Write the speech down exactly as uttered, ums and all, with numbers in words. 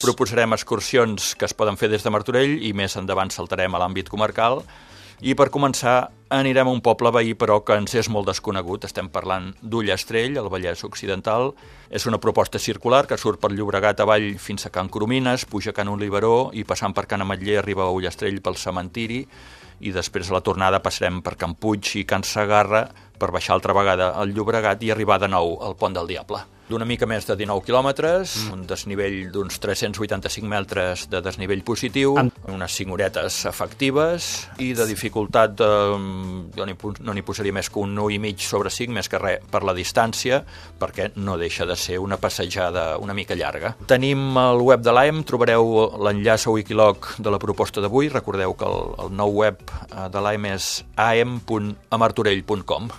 proposarem excursions que es poden fer des de Martorell i més endavant saltarem a l'àmbit comarcal. I per començar anirem a un poble veí, però que ens és molt desconegut. Estem parlant d'Ullastrell, al Vallès Occidental. És una proposta circular que surt per Llobregat avall fins a Can Coromines, puja a Can Oliveró i passant per Can Ametller arriba a Ullastrell pel cementiri i després a la tornada passarem per Can Puig i Can Segarra per baixar altra vegada al Llobregat i arribar de nou al Pont del Diable. D'una mica més de dinou quilòmetres, mm. un desnivell d'uns tres-cents vuitanta-cinc metres de desnivell positiu, amb unes cinc horetes efectives i de dificultat, de, jo no n'hi posaria més que un u i mig sobre cinc, més que res per la distància, perquè no deixa de ser una passejada una mica llarga. Tenim el web de l'A E M, trobareu l'enllaç a Wikiloc de la proposta d'avui. Recordeu que el, el nou web de l'A E M és a e m punt a martorell punt com.